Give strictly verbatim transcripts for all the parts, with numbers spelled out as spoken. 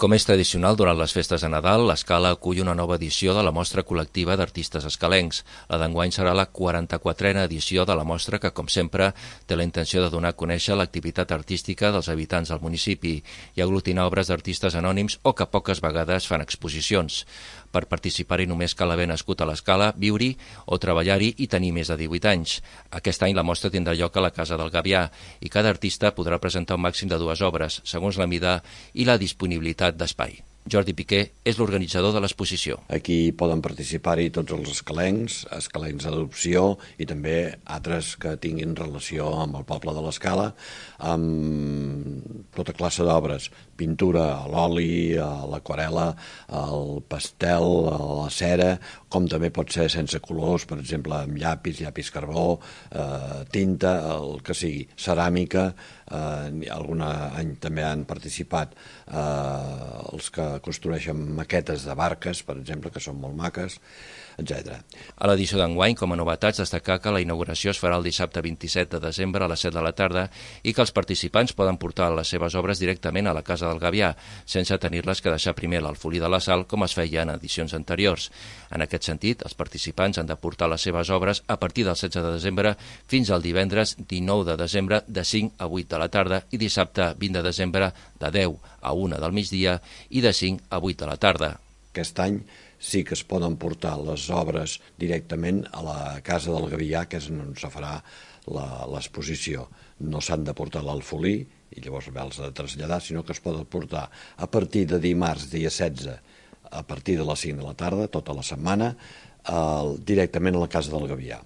Com és tradicional durant les festes de Nadal, l'Escala acull una nova edició de la Mostra Col·lectiva d'Artistes Escalencs. La d'enguany serà la quaranta-quatrena edició de la mostra que, com sempre, té la intenció de donar a conèixer l'activitat artística dels habitants del municipi i aglutinar obres d'artistes anònims o que poques vegades fan exposicions. Per participar-hi només cal haver nascut a l'Escala, viure-hi o treballar-hi i tenir més de divuit anys. Aquest any la mostra tindrà lloc a la Casa del Gavià i cada artista podrà presentar un màxim de dues obres, segons la mida i la disponibilitat d'espai. Jordi Piqué és l'organitzador de l'exposició. Aquí poden participar-hi tots els escalencs, escalencs d'adopció i també altres que tinguin relació amb el poble de l'Escala, amb tota classe d'obres, pintura a l'oli, a l'aquarela, al pastel, a la cera, com també pot ser sense colors, per exemple, amb llapis, llapis carbó, eh, tinta, el que sigui, ceràmica, eh, algun any també han participat eh, els que construeixen maquetes de barques, per exemple, que són molt maques, etcètera. A l'edició d'enguany, com a novetats, destacar que la inauguració es farà el dissabte vint-i-set de desembre a les set de la tarda i que els participants poden portar les seves obres directament a la Casa del Gavià, sense tenir-les que deixar primer a l'Alfolí de la Sal, com es feia en edicions anteriors. En aquest sentit, els participants han de portar les seves obres a partir del setze de desembre fins al divendres dinou de desembre de cinc a vuit de la tarda i dissabte vint de desembre de deu a una del migdia i de cinc a vuit de la tarda. Aquest any sí que es poden portar les obres directament a la Casa del Gavià, que és on se farà l'exposició. No s'han de portar a l'Alfolí i llavors els de traslladar, sinó que es poden portar a partir de dimarts, dia setze, a partir de les cinc de la tarda, tota la setmana, eh, directament a la Casa del Gavià.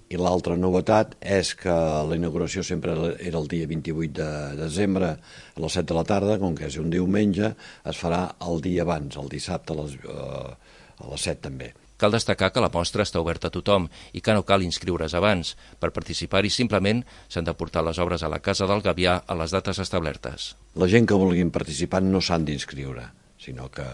I l'altra novetat és que la inauguració sempre era el dia vint-i-vuit de desembre a les set de la tarda, com que és un diumenge, es farà el dia abans, el dissabte a les, eh, a les set també. Cal destacar que la mostra està oberta a tothom i que no cal inscriure's abans. Per participar-hi simplement s'han de portar les obres a la Casa del Gavià a les dates establertes. La gent que vulguin participar no s'han d'inscriure, sinó que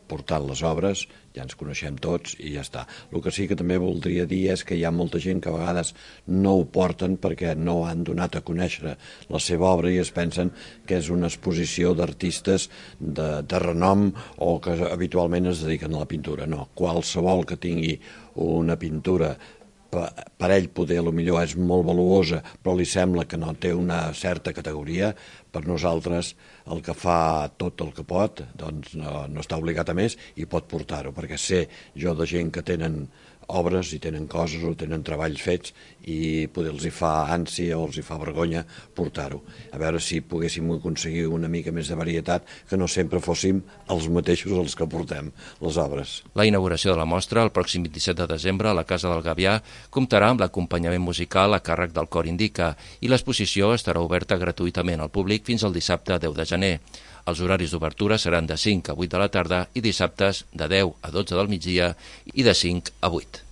portant les obres ja ens coneixem tots i ja està. El que sí que també voldria dir és que hi ha molta gent que a vegades no ho porten perquè no han donat a conèixer la seva obra i es pensen que és una exposició d'artistes de, de renom o que habitualment es dediquen a la pintura. No, qualsevol que tingui una pintura per ell poder, potser és molt valuosa, però li sembla que no té una certa categoria, per nosaltres el que fa tot el que pot, doncs no, no està obligat a més i pot portar-ho, perquè sé jo de gent que tenen obres i tenen coses o tenen treballs fets i poder els hi fa ànsia o els hi fa vergonya portar-ho. A veure si poguéssim aconseguir una mica més de varietat, que no sempre fóssim els mateixos els que portem les obres. La inauguració de la mostra, el pròxim vint-i-set de desembre a la Casa del Gavià, comptarà amb l'acompanyament musical a càrrec del Cor Indica i l'exposició estarà oberta gratuïtament al públic fins al dissabte deu de gener. Els horaris d'obertura seran de cinc a vuit de la tarda i dissabtes de deu a dotze del migdia i de cinc a vuit.